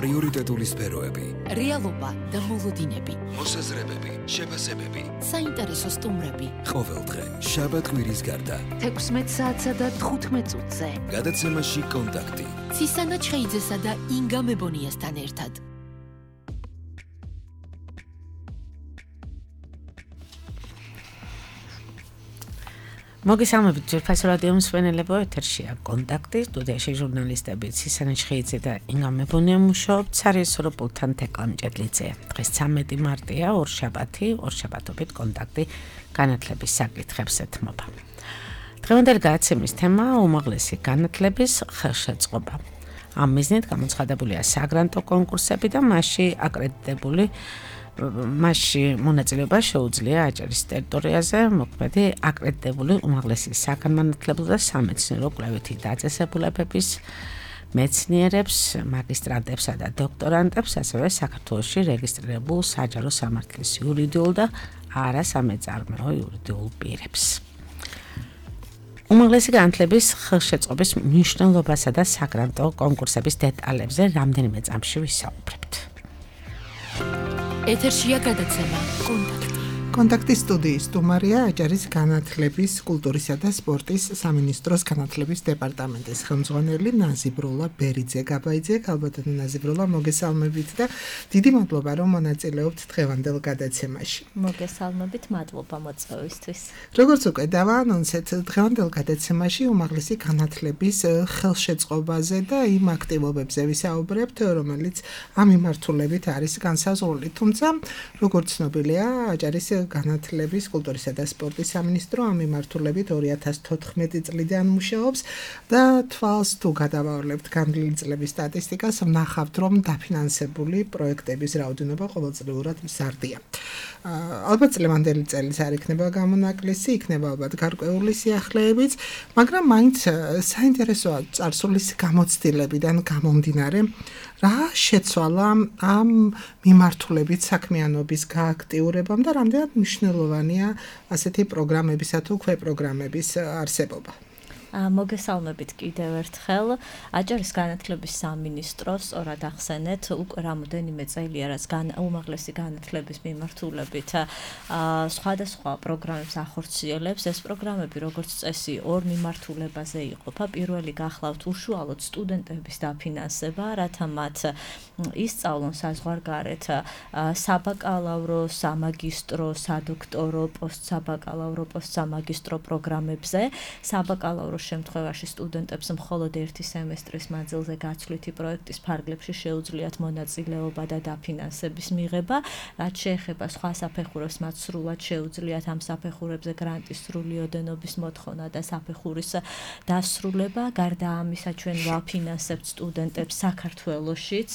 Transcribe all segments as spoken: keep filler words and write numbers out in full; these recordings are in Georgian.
პრიორიტეტული სფეროები, რეალობა და მოლოდინები, მოსაზრებები, შეფასებები, საინტერესო სტუმრები. ყოველდღე შაბათ-კვირის გარდა თექვსმეტ საათსა და თხუთმეტ წუთზე. გადაცემაში კონტაქტი. ცისანა ჩხეიძესა და ინგა მებონიასთან ერთად. მოგესალმებით ძვირფას რადიო მსმენელებო, ეთერშია კონტაქტი, სტუდიაში ჟურნალისტები ცისანა ჩხეიძე და ინგა მებონია მუშაობთ საერთო პულტთან თეკლა მჭედლიძეა. დღეს ცამეტი მარტია, ორშაბათი, ორშაბათობით კონტაქტი განათლების საკითხებს ეთმობა. დღევანდელი გადაცემის თემა უმაღლესი განათლების ხელშეწყობა. ამ მიზნით გამოცხადებულია საგრანტო კონკურსები და მასში აკრედიტებული მასში მონაწილეობა შეუძლია აჭარის ტერიტორიაზე მოქმედი აკრედიტებული უმაღლესი საგანმანათლებლო და სამეცნიერო კვლევითი დაწესებულებების მეცნიერებს, მაგისტრანტებსა და დოქტორანტებს, ასევე საქართველოში რეგისტრირებულ საჯარო სამართლის იურიდიულ და არასამეწარმეო იურიდიულ პირებს. უმაღლესი განათლების ხელშეწყობის მნიშვნელობასა და საგრანტო კონკურსების დეტალებზე რამდენიმე წამში ვისაუბრებთ. ეთერშია გადაცემა კონტაქტი. კონტაქტის სტუდიის სტუმარია აჭარის განათლების, კულტურისა და სპორტის სამინისტროს განათლების დეპარტამენტის ხელმძღვანელი ნაზიბროლა ბერიძე. გაბაიძე, ალბათად ნაზიბროლა, მოგესალმებით და დიდი მადლობა რომ მონაწილეობთ დღევანდელ გადაცემაში. მოგესალმებით, მადლობა მოწვევისთვის. როგორც უკვე დავაანონსეთ, დღევანდელ გადაცემაში უმაღლესი განათლების ხელშეწყობაზე და იმ აქტივობებზე ვისაუბრებთ, რომელიც ამ მიმართულებით არის განსაზღვრული. თუმცა, როგორც ცნობილია, აჭარის განათლების, კულტურისა და სპორტის სამინისტრო ამ მიმართულებით ორი ათას თოთხმეტი წლიდან მუშაობს და თვალს თუ გადავავლებთ განვლილი წლების სტატისტიკას, ვნახავთ, რომ დაფინანსებული პროექტების რაოდენობა ყოველწლიურად მზარდია. ალბათ წლევანდელი წელიც არ იქნება გამონაკლისი, იქნება ალბათ გარკვეული სიახლეებიც, მაგრამ მაინც საინტერესოა წარსულის გამოცდილებიდან გამომდინარე, რა შეცვალა ამ მიმართულებით საქმიანობის გააქტიურებამ და რამდენად მნიშვნელოვანია ასეთი პროგრამებისა თუ ქვეპროგრამების არსებობა. მოგესალმებით კიდევ ერთხელ. აჭარის განათლების სამინისტროს სწორად ახსენეთ, უკვე რამოდენიმე წელია, რაც უმაღლესი განათლების მიმართულებით სხვადასხვა პროგრამებს ახორციელებს. ეს პროგრამები, როგორც წესი, ორ მიმართულებაზე იყოფა. პირველი გახლავთ უშუალოდ სტუდენტების დაფინანსება, რათა მათ ისწავლონ საზღვარგარეთ საბაკალავრო, სამაგისტრო, სადოქტორო, პოსტსაბაკალავრო, პოსტსამაგისტრო პროგრამებზე. საბაკალავრო შემთხვევაში სტუდენტებს მხოლოდ ერთი სემესტრის მანძილზე გაცვლითი პროექტის ფარგლებში შეუძლიათ მონაწილეობა და დაფინანსების მიღება, რაც შეეხება სხვა საფეხურებს, მათ სრულად შეუძლიათ ამ საფეხურებზე გრანტის სრული ოდენობის მოთხოვნა და საფეხურის დასრულება. გარდა ამისა, ჩვენ ვაფინანსებთ სტუდენტებს საქართველოშიც.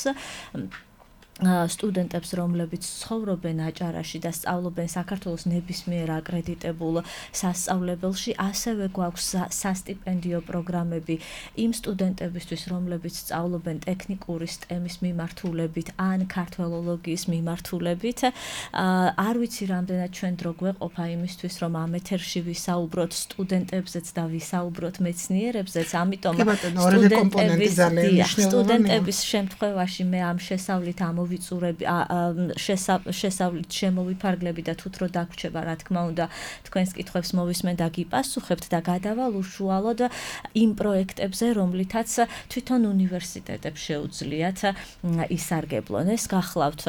სტუდენტებს, რომლებიც ცხოვრობენ აჭარაში და სწავლობენ საქართველოს ნებისმიერ აკრედიტებულ სასწავლებელში, ასევე გვაქვს სასტიპენდიო პროგრამები იმ სტუდენტებისთვის, რომლებიც სწავლობენ ტექნიკური STEM-ის მიმართულებით ან ქართველოლოგიის მიმართულებით. არ ვიცი რამდენად ჩვენ დრო გვეყოფა იმისთვის, რომ ამ ეთერში ვისაუბროთ სტუდენტებზეც და ვისაუბროთ მეცნიერებზეც, ამიტომ სტუდენტების შემთხვევაში მე ამ შესავლით ამ ვიწურები შესავლით შემოვიფარგლები და თუთ რო დაგვრჩება, რა თქმა უნდა, თქვენს კითხვებს მოვისმენ და გიპასუხებთ და გადავალ უშუალოდ იმ პროექტებზე, რომლითაც თვითონ უნივერსიტეტებს შეუძლიათ ისარგებლონ. ეს გახლავთ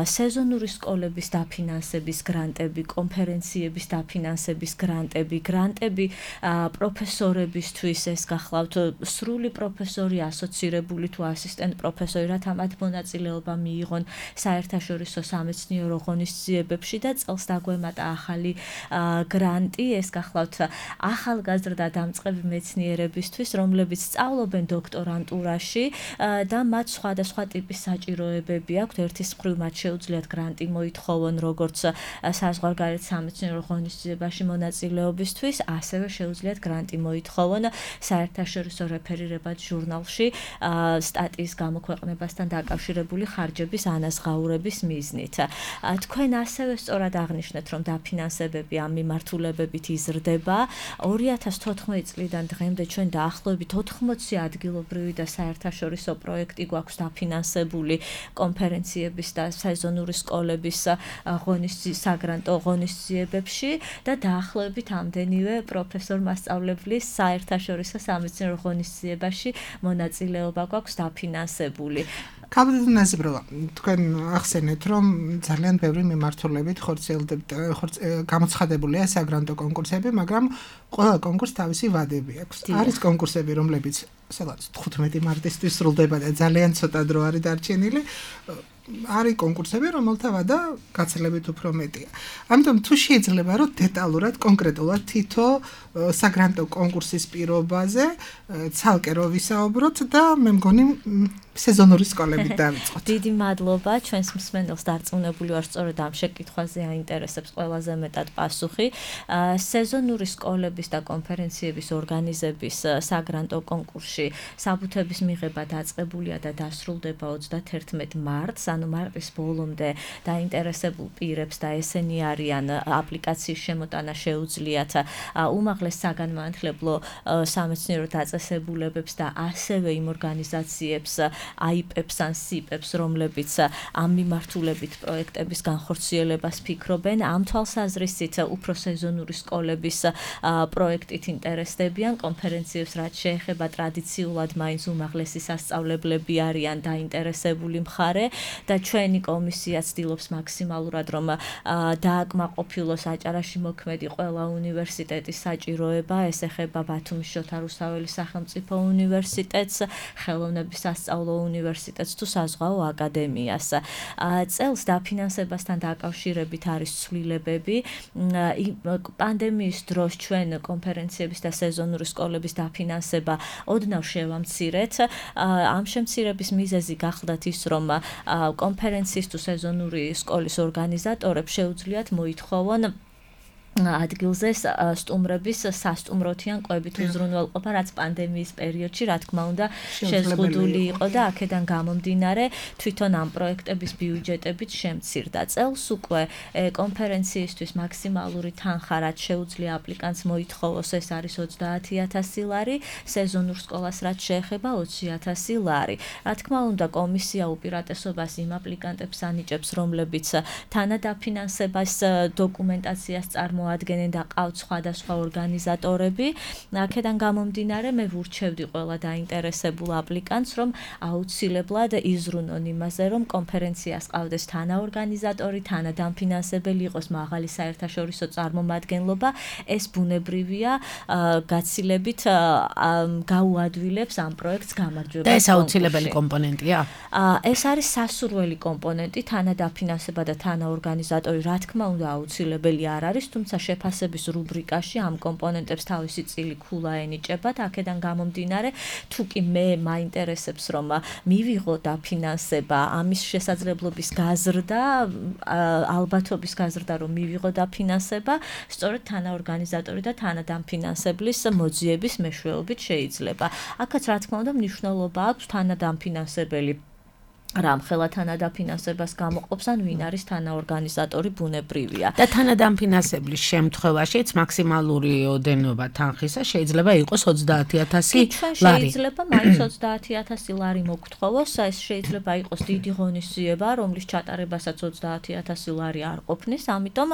სეზონური სკოლების დაფინანსების გრანტები, კონფერენციების დაფინანსების გრანტები, გრანტები პროფესორებისთვის, ეს გახლავთ სრული პროფესორი, ასოცირებული თუ ასისტენტ პროფესორი, რათა მათ მონაწილეობა მიიღონ საერთაშორისო სამეცნიერო ღონისძიებებში და წელს დაგვემატა ახალი გრანტი, ეს გახლავთ ახალგაზრდა დამწყები მეცნიერებისთვის, რომლებიც სწავლობენ დოქტორანტურაში და მათ სხვადასხვა ტიპის საჭიროებები აქვთ. ერთის მხრივ მათ შეუძლიათ გრანტი მოითხოვონ როგორც საზღვარგარეთ სამეცნიერო ღონისძიებაში მონაწილეობისთვის, ასევე შეუძლიათ გრანტი მოითხოვონ საერთაშორისო რეფერირებად ჟურნალში სტატიის გამოქვეყნებასთან დაკავშირებული ხარჯების ფინანსების ანაზღაურების მიზნით. თქვენ ასევე სწორად აღნიშნეთ, რომ დაფინანსებები ამ მიმართულებებით იზრდება. ორი ათას თოთხმეტი წლიდან დღემდე ჩვენ დაახლოებით ოთხმოცი ადგილობრივი და საერთაშორისო პროექტი გვაქვს დაფინანსებული კონფერენციების და სეზონური სკოლების ღონისძიებებში, საგრანტო ღონისძიებებში და დაახლოებით ამდენივე პროფესორ-მასწავლებლის საერთაშორისო სამეცნიერო ღონისძიებაში მონაწილეობა გვაქვს დაფინანსებული. კაბინეტიზება თქვენ ახსენეთ, რომ ძალიან ბევრი მიმართულებით ხორციელდებთ, გამოცხადებულია საგრანტო კონკურსები, მაგრამ ყველა კონკურსს თავისი ვადები აქვს. არის კონკურსები, რომლებიც სადღაც თხუთმეტი მარტისთვის სრულდება და ძალიან ცოტა დრო არის დარჩენილი. არის კონკურსები, რომელთა ვადა გაცილებით უფრო მეტია. ამიტომ თუ შეიძლება რომ დეტალურად, კონკრეტულად თითო საგრანტო კონკურსის პირობაზე ცალკე რო ვისაუბროთ და მე მგონი სეზონური სკოლებით დავიწყოთ. დიდი მადლობა ჩვენს მსმენელს დარწმუნებული ვარ, სწორედ ამ შეკითხვაზე აინტერესებს ყველაზე მეტად პასუხი. სეზონური სკოლების და კონფერენციების ორგანიზების საგრანტო კონკურსში საბუთების მიღება დაწყებულია და დასრულდება ოცდაათერთმეტი მარტს, ანუ მარტის ბოლომდე დაინტერესებულ პირებს და ესენი არიან აპლიკაციის შემოტანა შეუძლიათ უმაღლეს საგანმანათლებლო სამეცნიერო დაწესებულებებს და ასევე იმ ორგანიზაციებს აიპებს ან სიპებს, რომლებიც ამ მიმართულებით პროექტების განხორციელებას ფიქრობენ, ამ თვალსაზრისით უფრო სეზონური სკოლების პროექტით ინტერესდებიან, კონფერენციებს რაც შეეხება ტრადიციულად მაინც უმაღლესი სასწავლებლები არიან დაინტერესებული მხარე და ჩვენი კომისია ცდილობს მაქსიმალურად რომ დააკმაყოფილოს აჭარაში მოქმედი ყველა უნივერსიტეტის საჭიროება, ეს ეხება ბათუმის შოთა რუსთაველის სახელმწიფო უნივერსიტეტს, ხელოვნების სასწავლო უნივერსიტეტს თუ საზღვაო აკადემიას. წელს დაფინანსებასთან დაკავშირებით არის ცვლილებები. პანდემიის დროს ჩვენ კონფერენციების და სეზონური სკოლების დაფინანსება ოდნავ შევამცირეთ. ამ შემცირების მიზეზი გახლდათ ის, რომ კონფერენციის თუ სეზონური სკოლის ორგანიზატორებს შეუძლიათ მოითხოვონ ადგილზე სტუმრების სასტუმროთიან კვებით უზრუნველყოფა, რაც პანდემიის პერიოდში, რა თქმა უნდა, შეზღუდული იყო და აქედან გამომდინარე თვითონ ამ პროექტების ბიუჯეტებით შემცირდა. წელს უკვე კონფერენციისთვის მაქსიმალური თანხა, რაც შეუძლია აპლიკანტს მოითხოვოს, ეს არის ოცდაათი ათასი ლარი, სეზონურ სკოლას რაც შეეხება ოცი ათასი ლარი. რა თქმა უნდა, კომისია უპირატესობას იმ აპლიკანტებს ანიჭებს, რომლებიც თანადაფინანსებას დოკუმენტაციას წარმოადგენენ მოადგენენ და ყავთ სხვადასხვა ორგანიზატორები. აქედან გამომდინარე მე ვურჩევდი ყველა დაინტერესებულ აპლიკანტს, რომ აუცილებლად იზრუნონ იმაზე, რომ კონფერენციას ყავდეს თანაორგანიზატორი, თანადამფინანსებელი იყოს მაღალი საერთაშორისო წარმომადგენლობა. ეს ბუნებრივია, გაცილებით გაუადვილებს ამ პროექტს გამარჯვებას. და ეს აუცილებელი კომპონენტია? ეს არის სასურველი კომპონენტი, თანადაფინანსება და თანაორგანიზატორი, რა თქმა უნდა, აუცილებელი არ არის, თუმცა შეფასების რუბრიკაში ამ კომპონენტებს თავისი წილი ქულა ენიჭებათ. აქედან გამომდინარე, თუ კი მე მაინტერესებს, რომ მივიღო დაფინანსება, ამის შესაძლებლობის გაზრდა, ალბათობის გაზრდა, რომ მივიღო დაფინანსება, სწორედ თანაორგანიზატორი და თანადამფინანსებლის მოძიების მეშვეობით შეიძლება. აქაც რა თქმა უნდა მნიშვნელობა აქვს თანადამფინანსებელი რამ ხელა თანადაფინანსებას გამოყოფს, ან ვინ არის თანაორგანიზატორი ბუნებრივია. და თანადამფინანსებლის შემთხვევაშიც მაქსიმალური ოდენობა თანხისა შეიძლება იყოს ოცდაათი ათასი ლარი. შეიძლება მაინც ოცდაათი ათასი ლარი მოგთხოვოს, ეს შეიძლება იყოს დიდი ღონისძიება, რომლის ჩატარებასაც ოცდაათი ათასი ლარი არ ყოფნის, ამიტომ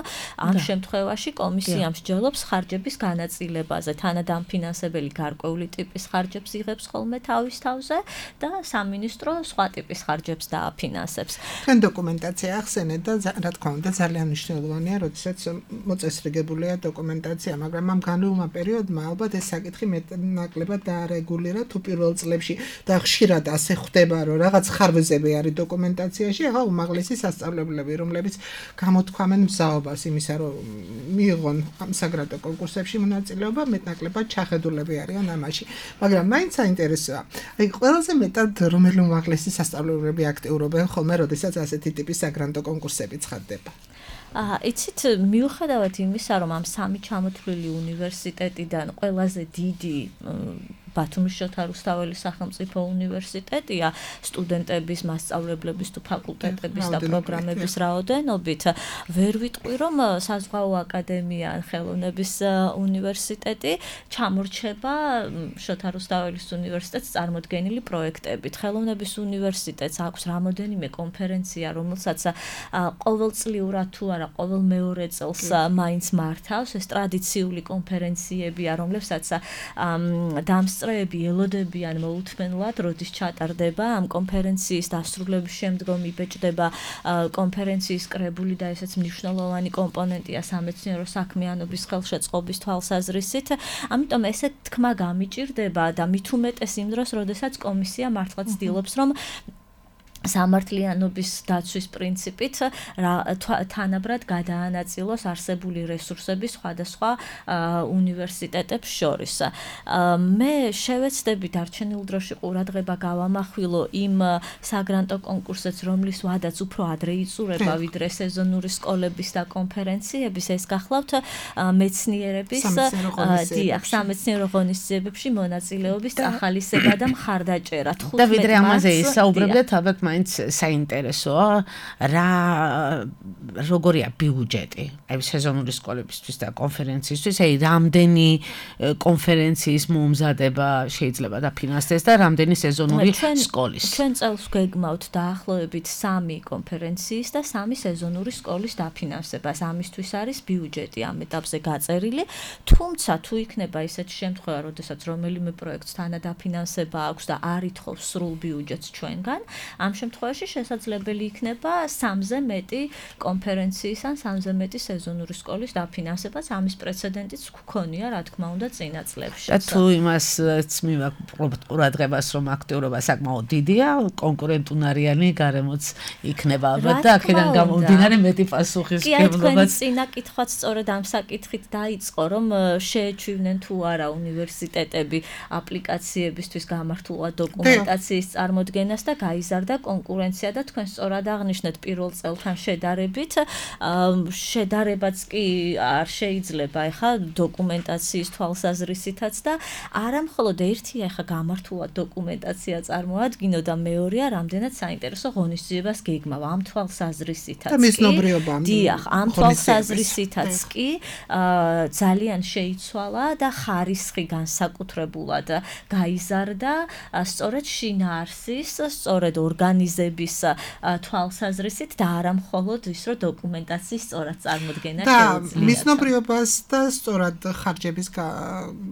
ამ შემთხვევაში კომისია მსჯელობს ხარჯების განაწილებაზე. თანადამფინანსებელი გარკვეული ტიპის ხარჯებს იღებს ხოლმე თავის თავზე და სამინისტრო სხვა ტიპის ხარჯებს დააფინანსებს. თქვენ დოკუმენტაცია ახსენეთ და რა თქმა უნდა ძალიან მნიშვნელოვანია, როდესაც მოწესრიგებულია დოკუმენტაცია, მაგრამ ამ განვლილმა პერიოდმა ალბათ ეს საკითხი მეტნაკლებად დაარეგულირა, თუ პირველ წლებში და ხშირად ასე ხდება, რომ რაღაც ხარვეზები არის დოკუმენტაციაში, ახლა უმაღლესი სასწავლებლები, რომლებიც გამოთქვამენ მზაობას იმისა, რომ მიიღონ ამ საგრანტო კონკურსებში მონაწილეობა, მეტნაკლებად ჩახედულები არიან ამაში. მაგრამ მაინც საინტერესოა. აი ყველაზე მეტად რომელი უმაღლესი სასწავლებლები აქტიურობენ ხოლმე, როდესაც ასეთი ტიპის საგრანტო კონკურსები ცხადდება. აა, იცით, მიუხედავად იმისა, რომ ამ სამი ჩამოთვლილი უნივერსიტეტიდან ყველაზე დიდი ბათუმის შოთა რუსთაველის სახელმწიფო უნივერსიტეტია სტუდენტების, მასწავლებლების თუ ფაკულტეტების და პროგრამების რაოდენობით. ვერ ვიტყვი, რომ საზღვაო აკადემია ან ხელოვნების უნივერსიტეტი ჩამორჩება შოთა რუსთაველის უნივერსიტეტს წარმოდგენილი პროექტებით. ხელოვნების უნივერსიტეტს აქვს რამოდენიმე კონფერენცია, რომელსაც ყოველწლიურად თუ არა ყოველ მეორე წელს მაინც მართავს. ეს ტრადიციული კონფერენციებია, რომლებსაც დამსწრეები ელოდებიან მოუთმენლად, როდის ჩატარდება ამ კონფერენციის დასრულების შემდგომ იბეჭდება კონფერენციის კრებული და ესეც მნიშვნელოვანი კომპონენტია სამეცნიერო საქმიანობის ხელშეწყობის თვალსაზრისით. ამიტომ ესე თქმა გამიჭირდება და მით უმეტეს იმ დროს, როდესაც კომისია მართლა ცდილობს, რომ სამართლიანობის დაცვის პრინციპით თანაბრად გადაანაწილოს არსებული რესურსები სხვადასხვა უნივერსიტეტებს შორის. მე შევეცდები დარჩენილ დროში ყურადღება გავამახვილო იმ საგრანტო კონკურსებს, რომლის ვადაც უფრო ადრე იწურება, ვიდრე სეზონური სკოლების და კონფერენციების. ეს გახლავთ მეცნიერების დიახ, სამეცნიერო ღონისძიებებში მონაწილეობის ახალისება და მხარდაჭერა. და ვიდრე ამაზე ისაუბრებდეთ, ალბათ მაინც საინტერესოა რა როგორია ბიუჯეტი აი სეზონური სკოლებისთვის და კონფერენციისთვის, აი რამდენი კონფერენციის მომზადება შეიძლება დაფინანსდეს და რამდენი სეზონური სკოლის. ჩვენ წელს გვეგმავთ დაახლოებით სამი კონფერენციის და სამი სეზონური სკოლის დაფინანსებას. ამისთვის არის ბიუჯეტი ამ ეტაპზე გაწერილი, თუმცა თუ იქნება ისეთი შემთხვევა, როდესაც რომელიმე პროექტს თანადაფინანსება აქვს და არ ითხოვს სრულ ბიუჯეტს ჩვენგან, ამ შემთხვევაში შესაძლებელი იქნება სამზე მეტი კონფერენციის ან სამზე მეტი სეზონური სკოლის დაფინანსებაც. ამის პრეცედენტიც გქონია, რა თქმა უნდა, წინა წლებში. და თუ იმასც მივაქვს ყურადღებას, რომ აქტიურობა საკმაოდ დიდია, კონკურენტუნარიანი გარემოც იქნება ალბათ და აქედან გამომდინარე მეტი პასუხისმგებლობაც. კი, თქვენი წინა კითხვაც სწორედ ამ საკითხით დაიწყო, რომ შეეჩვივნენ თუ არა უნივერსიტეტები აპლიკაციებისთვის გამართულად დოკუმენტაციის წარმოდგენას და გაიზარდა კონკურენცია და თქვენ სწორად აღნიშნეთ პირველ წელთან შედარებით. შედარებაც კი არ შეიძლება ეხა დოკუმენტაციის თვალსაზრისითაც და არა მხოლოდ ერთია ეხა გამართულად დოკუმენტაცია წარმოადგინო და მეორეა რამდენად საინტერესო ღონისძიებას გეგმავ ამ თვალსაზრისითაც. და მიზნობრიობა. დიახ, ამ თვალსაზრისითაც კი ძალიან შეიცვალა და ხარისხი განსაკუთრებულად გაიზარდა სწორედ შინაარსის, სწორედ ორგანიზების თვალსაზრისით და არა მხოლოდ ის, რომ დოკუმენტაციის სწორად წარმოდგენა შეუძლია. და მიზნობრიობას და სწორად ხარჯების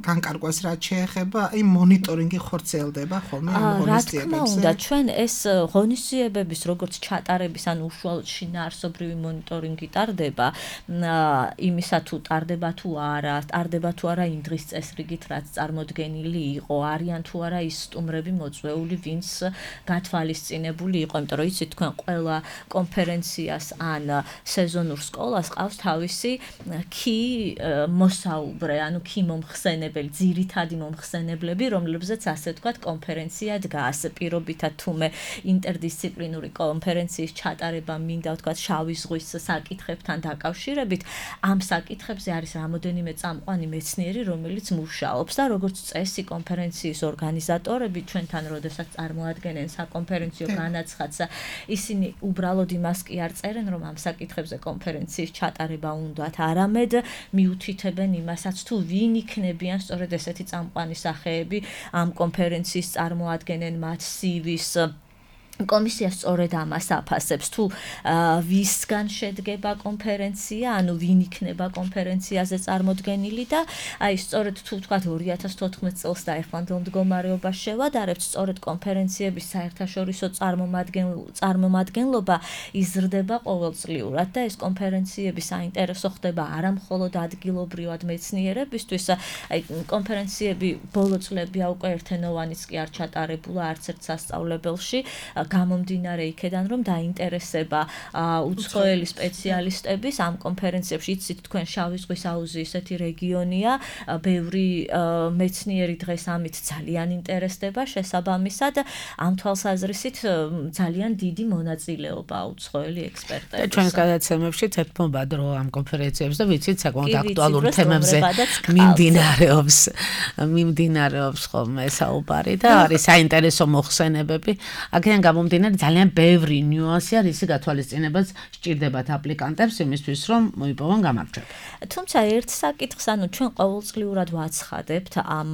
განკარგვას რაც შეეხება, აი მონიტორინგი ხორციელდება ხოლმე ამ ღონისძიებებზე. რა თქმა უნდა, ჩვენ ეს ღონისძიებების როგორც ჩატარების ან უშუალოდ შინაარსობრივი მონიტორინგი ტარდება, იმისა თუ ტარდება თუ არა, ტარდება თუ არა იმ დღის წესრიგით, რაც წარმოდგენილი იყო, არიან თუ არა ის სტუმრები მოწვეული, ვინც გათვალისწინებული იყო, იმიტომ რომ იცით თქვენ ყველა კონფერენციას ან სეზონურ სკოლას ყავს თავისი კი მოსაუბრე, ანუ კი მომხსენებელი, ძირითადი მომხსენებლები, რომლებზეც ასე ვთქვათ კონფერენცია დგას. პირობითად თუმე ინტერდისციპლინური კონფერენციის ჩატარება მინდა ვთქვათ შავი ზღვის საკითხებთან დაკავშირებით, ამ საკითხებზე არის რამოდენიმე წამყვანი მეცნიერი, რომელიც მუშაობს და როგორც წესი კონფერენციის ორგანიზატორები ჩვენთან როდესაც წარმოადგენენ საკონფერენციო განაცხადს, ისინი უბრალოდ იმას კი არ წერენ, რომ ამ საკითხებზე კონფერენციის ჩატარება უნდათ, არამედ მიუთითებენ იმასაც, თუ ვინ იქნებიან სწორედ ესეთი წამყვანი სახეები ამ კონფერენციის წარმოადგენენ მათ სივის კომისია სწორედ ამას აფასებს, თუ ვისგან შედგება კონფერენცია, ანუ ვინ იქნება კონფერენციაზე წარმოდგენილი და აი სწორედ თუ ვთქვათ ორი ათას თოთხმეტ წელს და ეხლანდელ მდგომარეობას შევადარებთ, სწორედ კონფერენციების საერთაშორისო წარმომადგენლობა იზრდება ყოველწლიურად და ეს კონფერენციები საინტერესო ხდება არა მხოლოდ ადგილობრივად მეცნიერებისთვის, აი კონფერენციები ბოლო წლებია უკვე ერთენოვანიც კი არ ჩატარებულა არც ერთ სასწავლებელში. გამომდინარე იქედან რომ დაინტერესება უცხოელი სპეციალისტების ამ კონფერენციებში. იცით თქვენ შავი ზღვის აუზი ესეთი რეგიონია, ბევრი მეცნიერი დღეს ამით ძალიან ინტერესდება, შესაბამისად ამ თვალსაზრისით ძალიან დიდი მონაწილეობა უცხოელი ექსპერტების. ჩვენს გადაცემებში თეთრმობად რო ამ კონფერენციებზე ვიცით საკმაოდ აქტუალური თემებზე მიმდინარეობს მიმდინარეობს ხოლმე საუბარი და არის საინტერესო მოხსენებები. აქედან გამომდინარე ძალიან ბევრი ნიუანსია, რისი გათვალისწინებაც სჭირდებათ აპლიკანტებს იმისთვის, რომ მოიპოვონ გამარჯვება. თუმცა ერთ საკითხს, ანუ ჩვენ ყოველწლიურად ვაცხადებთ ამ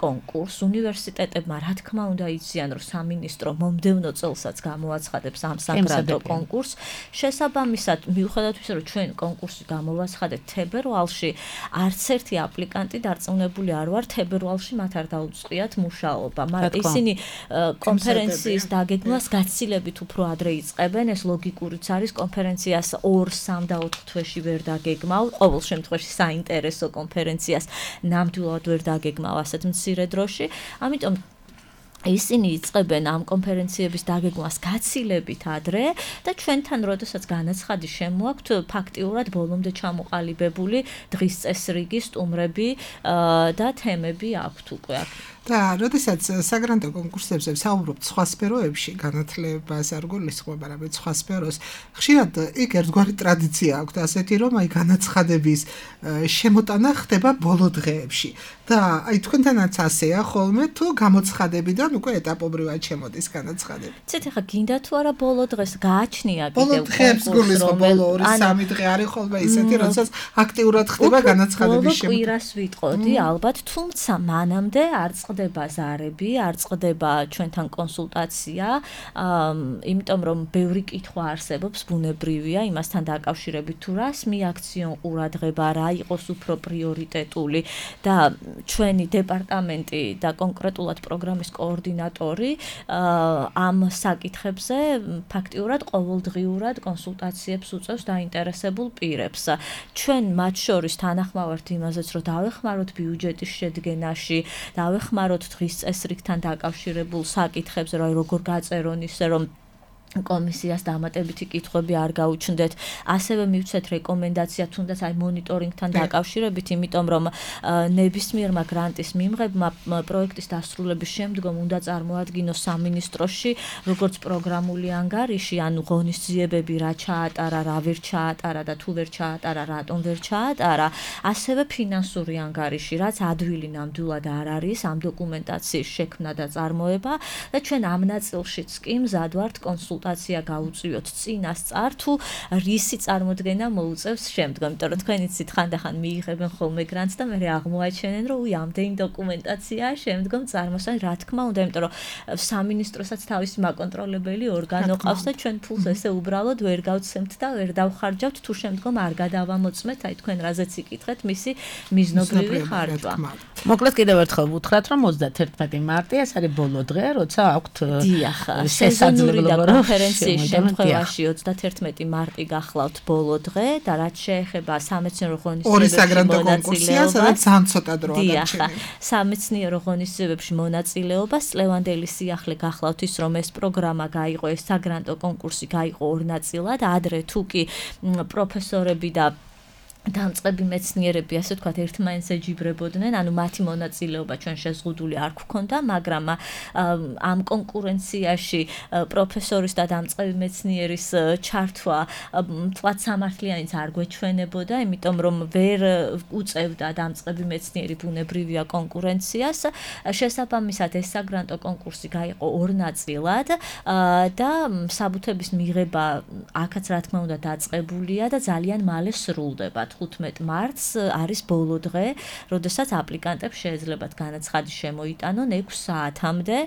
კონკურსს, უნივერსიტეტებმა რა თქმა უნდა იციან, რომ სამინისტრო მომდევნო წელსაც გამოაცხადებს ამ საგრანტო კონკურსს. შესაბამისად, მიუხედავად იმისა, რომ ჩვენ კონკურსი გამოვაცხადებთ თებერვალში, არც ერთი აპლიკანტი დარწმუნებული არ ვარ, თებერვალში მათ არ დაუწყიათ მუშაობა. მაგრამ ისინი კონფერენციის დაგეგმვას გაცილებით უფრო ადრე იწყებენ, ეს ლოგიკურიც არის, კონფერენციას ორ, სამ და ოთხ თვეში ვერ დაგეგმავ, ყოველ შემთხვევაში საინტერესო კონფერენციას ნამდვილად ვერ დაგეგმავ ასეთ მცირე დროში. ამიტომ ისინი იწყებენ ამ კონფერენციების დაგეგმვას გაცილებით ადრე და ჩვენთან როდესაც განაცხადი შემოაქვთ ფაქტიურად ბოლომდე ჩამოყალიბებული დღის წესრიგი, სტუმრები და თემები აქვთ უკვე. და როდესაც საგრანტო კონკურსებზე საუბრობთ სხვა სფეროებში, განათლებას არ გულისხმობ, არამედ სხვა სფეროს, ხშირად იქ ერთგვარი ტრადიცია აქვს, ასეთი რომ აი განაცხადების შემოტანა ხდება ბოლო დღეებში. და აი თქვენთანაც ასეა ხოლმე, თუ გამოცხადებიდან უკვე ეტაპობრივად შემოდის განაცხადები. ცეთ ახლა გინდა თუ არა ბოლო დღეს გააჩნია კიდევ ბოლო დღეებს გულისხმობ, ბოლო ორი სამი დღე არის ხოლმე ისეთი, როდესაც აქტიურად ხდება განაცხადების შემოტანა. ბოლო კვირას ვიტყოდი ალბათ, თუმცა მანამდე არ წყდება ზარები, არ წყდება ჩვენთან კონსულტაცია, იმიტომ რომ ბევრი კითხვა არსებობს, ბუნებრივია, იმასთან დაკავშირებით თუ რას მიაქციონ ყურადღება, რა იყოს უფრო პრიორიტეტული და ჩვენი დეპარტამენტი და კონკრეტულად პროგრამის კოორდინატორი ამ საკითხებზე ფაქტიურად ყოველდღიურად კონსულტაციებს უწევს დაინტერესებულ პირებს. ჩვენ მათ შორის თანახმავართ იმაზეც, რომ დავეხმაროთ ბიუჯეტის შედგენაში, დავეხმაროთ დღის წესრიგთან დაკავშირებულ საკითხებზე, რომ როგორ გაწერონ ისე რომ კომისიას დამატებითი კითხვები არ გაუჩნდეთ. ასევე მივცეთ რეკომენდაცია თუნდაც აი მონიტორინგთან დაკავშირებით, იმიტომ რომ ნებისმიერმა გრანტის მიმღებმა პროექტის დასრულების შემდგომ უნდა წარმოადგინოს სამინისტროში როგორც პროგრამული ანგარიში, ანუ ღონისძიებები რა ჩაატარა, რა ვერ ჩაატარა და თუ ვერ ჩაატარა, რატომ ვერ ჩაატარა, ასევე ფინანსური ანგარიში, რაც ადვილი ნამდვილად არ არის ამ დოკუმენტაციის შექმნა და წარმოება და ჩვენ ამ ნაწილშიც კი მზად ვართ კონსულ კონსულტაცია გაუწიოთ წინასწარ თუ რისი წარმოდგენა მოუწევს შემდგომ, იმიტომ რომ თქვენ იცით ხანდახან მიიღებენ ხოლმე გრანტს და მე აღმოაჩენენ რომ უი ამდენი დოკუმენტაცია შემდგომ წარმოსან, რა თქმა უნდა, იმიტომ რომ სამინისტროსაც თავისი მაკონტროლებელი ორგანო ყავს და ჩვენ ფულს ესე უბრალოდ ვერ გავცემთ და ვერ დავხარჯავთ თუ შემდგომ არ გადავამოწმეთ, აი თქვენ რაზეც იკითხეთ მისი მიზნობრივი ხარჯვა. მოკლედ კიდევ ერთხელ ვუთხრათ რომ ოცდაათერთმეტი მარტი ეს არის ბოლო დღე, როცა აქვთ შესაძლებლობა კონფერენციის შემთხვევაში ოცდაათერთმეტი მარტი გახლავთ ბოლო დღე და რაც შეეხება სამეცნიერო ღონისძიებებში მონაწილეობას, სამეცნიერო ღონისძიებებში მონაწილეობას, წლევანდელი სიახლე გახლავთ ის, რომ ეს პროგრამა გაიყო, ეს საგრანტო კონკურსი გაიყო ორ ნაწილად, ადრე თუ კი პროფესორები და დამწყები მეცნიერები, ასე ვთქვათ, ერთმანეთს ეჯიბრებოდნენ, ანუ მათი მონაწილეობა ჩვენ შეზღუდული არ გვქონდა, მაგრამ ამ კონკურენციაში პროფესორის და დამწყები მეცნიერის ჩართვა თქვათ სამართლიანიც არ გვეჩვენებოდა, იმიტომ რომ ვერ უწევდა დამწყები მეცნიერი ბუნებრივია კონკურენციას. შესაბამისად ეს საგრანტო კონკურსი გაიყო ორ ნაწილად და საბუთების მიღება აქაც რა თქმა უნდა დაწყებულია და ძალიან მალე სრულდება. ხუთმეტ მარტს არის ბოლო დღე, როდესაც აპლიკანტებს შეეძლებათ განაცხადი შემოიტანონ ექვს საათამდე.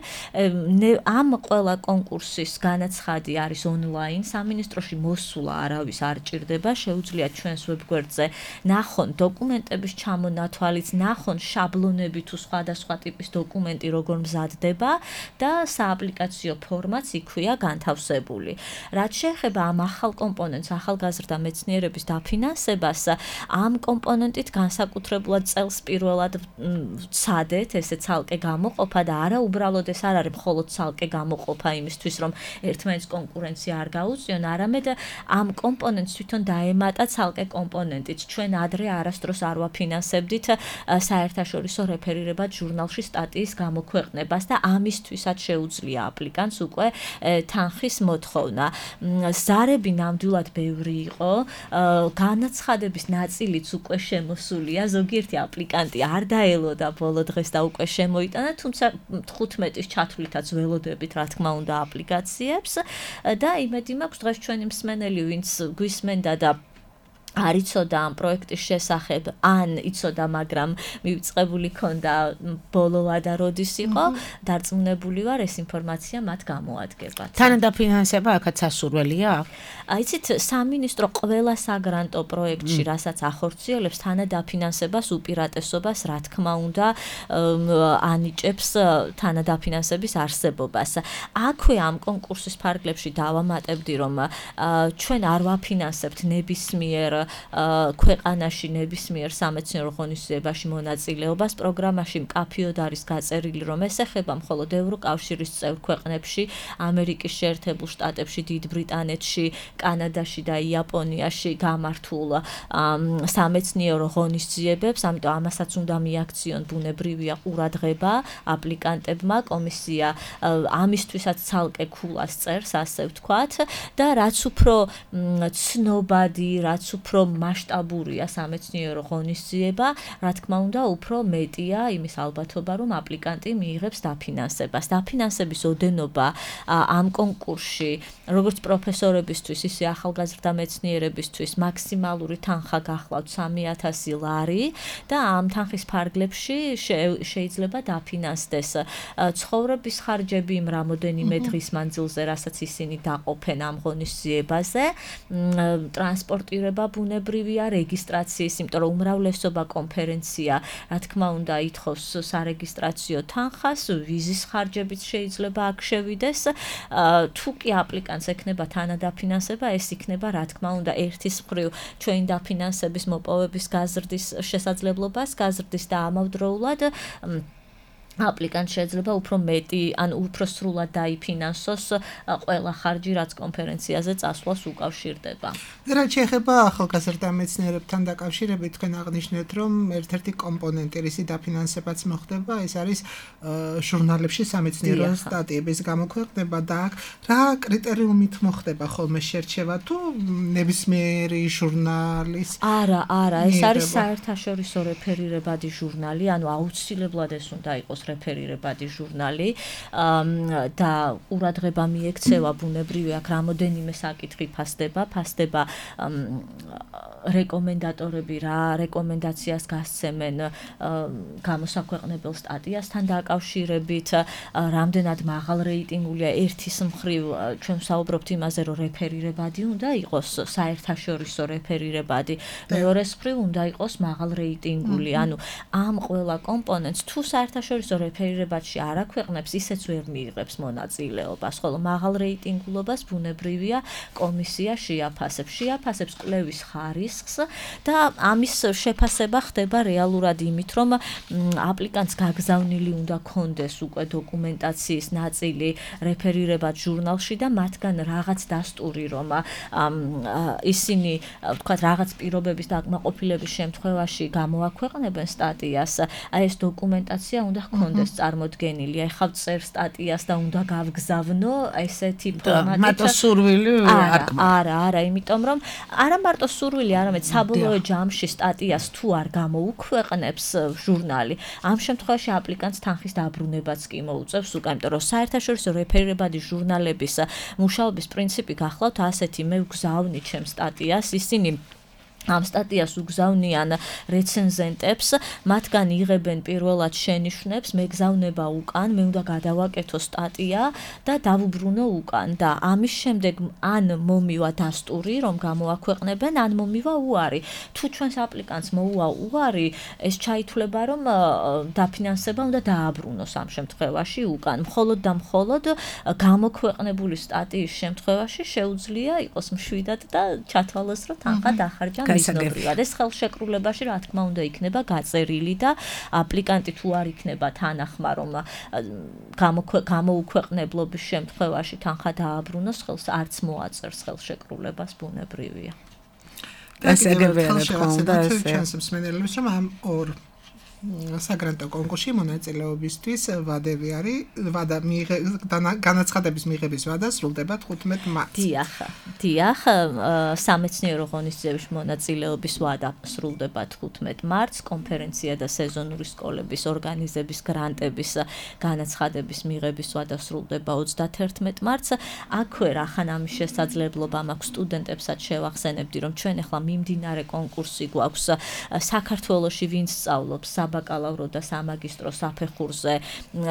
ამ ყველა კონკურსის განაცხადი არის ონლაინ, სამინისტროში მოსულა არავის არ ჭირდება, შეუძლიათ ჩვენს ვებგვერდზე ნახონ დოკუმენტების ჩამონათვალიც, ნახონ შაბლონები თუ სხვადასხვა ტიპის დოკუმენტი როგორ მზადდება და სააპლიკაციო ფორმაც იქვეა განთავსებული. რაც შეეხება ამ ახალ კომპონენტს, ახალგაზრდა მეცნიერების დაფინანსებას, ამ კომპონენტით განსაკუთრებულად წელს პირველად ვცადეთ ესე ცალკე გამოყოფა და არა უბრალოდ ეს არ არის მხოლოდ ცალკე გამოყოფა იმისთვის რომ ერთმანეთს კონკურენცია არ გაუწიონ, არამედ ამ კომპონენტს თვითონ დაემატა ცალკე კომპონენტით. ჩვენ ადრე არასდროს არ ვაფინანსებდით საერთაშორისო რეფერირებად ჟურნალში სტატიის გამოქვეყნებას და ამისთვისაც შეუძლია აპლიკანტს უკვე თანხის მოთხოვნა. ზარები ნამდვილად ბევრი იყო, განაცხადების ნაწილიც უკვე შემოსულია, ზოგიერთი აპლიკანტი არ დაელოდა ბოლო დღეს და უკვე შემოიტანა, თუმცა თხუთმეტის ჩათვლითაც ველოდებით რა თქმა უნდა აპლიკაციებს და იმედი მაქვს დღეს ჩვენი მსმენელი ვინც გვისმენდა და არ იცოდა ამ პროექტის შესახებ, ან იცოდა, მაგრამ მივიწყებული ქონდა ბოლოვა და როდის იყო, დარწმუნებული ვარ ეს ინფორმაცია მათ გამოადგებათ. თანადაფინანსება აქაც ასურველია? იცით, სამინისტრო ყველა საგრანტო პროექტში, რასაც ახორციელებს, თანადაფინანსებას უპირატესობას, რა თქმა უნდა, ანიჭებს თანადაფინანსების არსებობას. აქვე ამ კონკურსის ფარგლებში დავამატებდი, რომ ჩვენ არ ვაფინანსებთ ნებისმიერ ქვეყანაში ნებისმიერ სამეცნიერო ღონისძიებაში მონაწილეობას. პროგრამაში მკაფიოდ არის გაწერილი, რომ ეს ეხება მხოლოდ ევროკავშირის წევრ ქვეყნებში, ამერიკის შეერთებულ შტატებში, დიდ ბრიტანეთში, კანადაში და იაპონიაში გამართულ სამეცნიერო ღონისძიებებს, ამიტომ ამასაც უნდა მიაქციონ ბუნებრივია ყურადღება აპლიკანტებმა. კომისია ამისთვისაც ცალკე ქულას წერს, ასე ვთქვათ, და რაც უფრო ცნობადი, რაც უფრო მასშტაბურია სამეცნიერო ღონისძიება, რა თქმა უნდა, უფრო მეტია იმის ალბათობა, რომ აპლიკანტი მიიღებს დაფინანსებას. დაფინანსების ოდენობა ამ კონკურსში, როგორც პროფესორებისთვის, ისე ახალგაზრდა მეცნიერებისთვის, მაქსიმალური თანხა გახლავთ სამი ათასი ლარი და ამ თანხის ფარგლებში შეიძლება დაფინანსდეს ცხოვრების ხარჯები იმ რამოდენიმე დღის მანძილზე, რასაც ისინი დაყოფენ ამ ღონისძიებაზე, ტრანსპორტირება ბუნებრივია, რეგისტრაციის, იმიტომ რომ უმრავლესობა კონფერენცია, რა თქმა უნდა, ითხოვს სარეგისტრაციო თანხას, ვიზის ხარჯებიც შეიძლება აქ შევიდეს. თუ კი აპლიკანტს ექნება თანადაფინანსება, ეს იქნება, რა თქმა უნდა, ერთის მხრივ ჩვენი დაფინანსების მოპოვების გაზრდის შესაძლებლობას, გაზრდის და ამავდროულად აპლიკანტს შეიძლება უფრო მეტი, ან უფრო სრულად დაიფინანსოს ყველა ხარჯი, რაც კონფერენციაზე წასვლას უკავშირდება. რაც შეეხება ახალგაზრდა მეცნიერებთან დაკავშირებით, თქვენ აღნიშნეთ, რომ ერთ-ერთი კომპონენტი, რისი დაფინანსებაც მოხდება, ეს არის ჟურნალებში სამეცნიერო სტატიების გამოქვეყნება და აქ რა კრიტერიუმით მოხდება ხოლმე შერჩევა თუ ნებისმიერი ჟურნალის? არა, არა, ეს არის საერთაშორისო რეფერირებადი ჟურნალი, ანუ აუცილებლად ეს უნდა იყოს რეფერირებადი ჟურნალი და ყურადღება მიექცევა ბუნებრივია, აქ რამოდენიმე საკითხი ფასდება, ფასდება რეკომენდატორები რა რეკომენდაციას გასცემენ გამოსაქვეყნებელ სტატიასთან დაკავშირებით, რამდენად მაღალ რეიტინგულია. ერთის მხრივ ჩვენ ვსაუბრობთ იმაზე, რომ რეფერირებადი უნდა იყოს საერთაშორისო რეფერირებადი, მეორეს მხრივ უნდა იყოს მაღალ რეიტინგული. ანუ ამ ყველა კომპონენტს თუ საერთაშორისო რეფერირებადში არ აქვეყნებს, ისეც ვერ მიიღებს მონაწილეობას, ხოლო მაღალ რეიტინგულობას ბუნებრივია კომისია შეაფასებს, შეაფასებს კვლევის ხარისხს და ამის შეფასება ხდება რეალურად იმით, რომ აპლიკანტს გაგზავნილი უნდა კონდეს უკვე დოკუმენტაციის ნაწილი რეფერირებად ჟურნალში და მათგან რაღაც დასტური, რომ ისინი, ვთქვათ, რაღაც პირობების დაკმაყოფილების შემთხვევაში გამოაქვეყნებენ სტატიას, აი ეს დოკუმენტაცია უნდა კონდეს წარმოდგენილი. ეხლა წერ სტატიას და უნდა გავგზავნო ესეთი ფორმატით. მარტო სურვილი არ არა, არა, იმიტომ რომ არა მარტო სურვილი, არამედ საბოლოო ჯამში სტატიას თუ არ გამოუქვეყნებს ჟურნალი, ამ შემთხვევაში აპლიკანტს თანხის დაბრუნებაც კი მოუწევს უკვე, იმიტომ რომ საერთაშორისო რეფერირებადი ჟურნალების მუშაობის პრინციპი გახლავთ ასეთი, მე ვგზავნი ჩემ სტატიას, ისინი ამ სტატიას უგზავნიან რეცენზენტებს, მათგან იღებენ პირველად შენიშვნებს, მეგზავნება უკან, მე უნდა გადავაკეთო სტატია და დავუბრუნო უკან და ამის შემდეგ ან მომივა დასტური, რომ გამოაქვეყნებენ, ან მომივა უარი. თუ ჩვენს აპლიკანტს მოუვა უარი, ეს ჩაითვლება, რომ დაფინანსება უნდა დააბრუნოს ამ შემთხვევაში უკან. მხოლოდ და მხოლოდ გამოქვეყნებული სტატიის შემთხვევაში შეუძლია იყოს მშვიდად და ჩათვალოს, რომ თანხა დახარჯა მიზნობრივად. ეს ხელშეკრულებაში რა თქმა უნდა იქნება გაწერილი და აპლიკანტი თუ არ იქნება თანახმა რომ გამოუქვეყნებლობის შემთხვევაში თანხა დააბრუნოს ხელს არც მოაწერს ხელშეკრულებას ბუნებრივია. დასაგებია თქმა უნდა ეს ჩვენს მსმენელებს რომ ამ ორ საგრანტო კონკურსში მონაწილეობისთვის ვადები არის ვადა განაცხადების მიღების ვადა სრულდება თხუთმეტ მარტს. დიახ, დიახ, სამეცნიერო ღონისძიებაში მონაწილეობის ვადა სრულდება თხუთმეტ მარტს, კონფერენცია და სეზონური სკოლების ორგანიზების გრანტების განაცხადების მიღების ვადა სრულდება ოცდათერთმეტ მარტს. აქვე რახან ამის შესაძლებლობა მაქვს სტუდენტებსაც შევახსენებდი, რომ ჩვენ ახლა მიმდინარე კონკურსი გვაქვს საქართველოში ვინც სწავლობს საბაკალავრო და სამაგისტრო საფეხურზე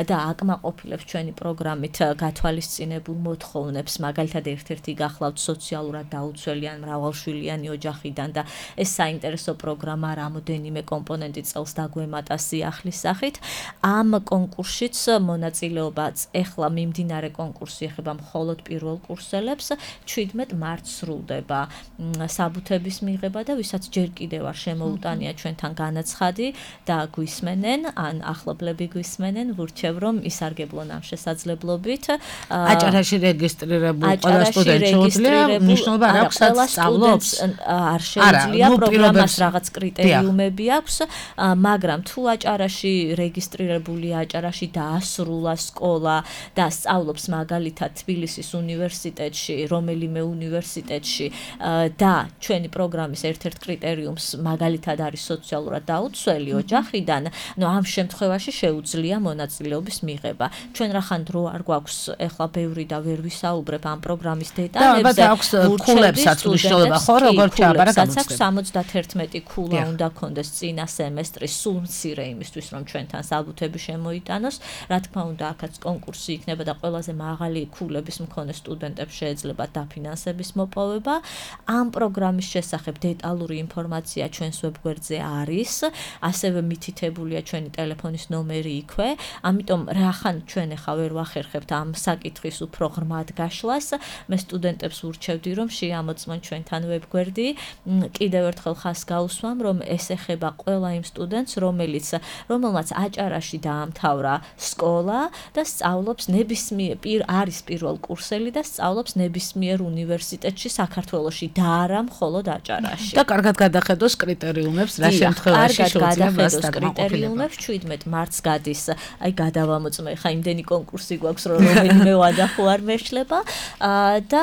და აკმაყოფილებს ჩვენი პროგრამით გათვალისწინებულ მოთხოვნებს, მაგალითად ერთ-ერთი გახლავთ სოციალურად დაუცველიან მრავალშვილიანი ოჯახიდან და ეს საინტერესო პროგრამა რამოდენიმე კომპონენტი წელს დაგვემატა სიახლის სახით. ამ კონკურსშიც მონაწილეობაც ახლა მიმდინარე კონკურსი ეხება მხოლოდ პირველ კურსელებს, შვიდმეტ მარტს სრულდება საბუთების მიღება და ვისაც ჯერ კიდევ არ შემოუტანია ჩვენთან განაცხადი და გვისმენენ, ან ახლობლები გვისმენენ, ვურჩევ რომ ისარგებლონ ამ შესაძლებლობით. აჭარაში რეგისტრირებულ ყველა სტუდენტს შეუძლია მნიშვნელობა არ აქვს სწავლობს? არ შეუძლია, პროგრამას რაღაც კრიტერიუმები აქვს, მაგრამ თუ აჭარაში რეგისტრირებული აჭარაში დაასრულა სკოლა და სწავლობს მაგალითად თბილისის უნივერსიტეტში, რომელიმე უნივერსიტეტში და ჩვენი პროგრამის ერთ-ერთ კრიტერიუმს მაგალითად არის სოციალურად დაუცველი ოჯახიდან, ნუ ამ შემთხვევაში შეუძლია მონაწილეობის მიღება. ჩვენ რახან დრო არ გვაქვს, ეხლა ბევრი და ვერ ვისაუბრებ ამ პროგრამის დეტალებზე. და აქვს ქულებსაც მნიშვნელობა, ხო, როგორ ჩააბარა გამოცდება. სამოცდათერთმეტი ქულა უნდა კონდეს წინა სემესტრის, სულ მცირე იმისთვის, რომ ჩვენთან საბუთები შემოიტანოს. რა თქმა უნდა, აქაც კონკურსი იქნება და ყველაზე მაღალი ქულების მქონე სტუდენტებს შეეძლება დაფინანსების მოპოვება. ამ პროგრამის შესახებ დეტალური ინფორმაცია ჩვენს ვებგვერდზე არის, ასევე მითითებულია ჩვენი ტელეფონის ნომერი იქვე. ამიტომ რახან ჩვენ ახლა ვერ ვახერხებთ ამ საკითხის უფრო ღრმად გაშლას, მე სტუდენტებს ვურჩევდი რომ შეამოწმონ ჩვენთან ვებგვერდი. კიდევ ერთხელ ხას გაუსვამ, რომ ეს ეხება ყველა იმ სტუდენტს, რომელიც რომელმაც აჭარაში დაამთავრა სკოლა და სწავლობს ნებისმიერ არის პირველ კურსელი და სწავლობს ნებისმიერ უნივერსიტეტში საქართველოში და არა მხოლოდ აჭარაში. და კარგად გადახედოს კრიტერიუმებს, რა შემთხვევაში შეუძლია გადახედოს კრიტერიუმებს, შვიდმეტ მარტს გადის. აი გადავამოწმე, ხა იმდენი კონკურსი გვაქვს, რომ რომელიმე ვადა ხო არ მეშლება და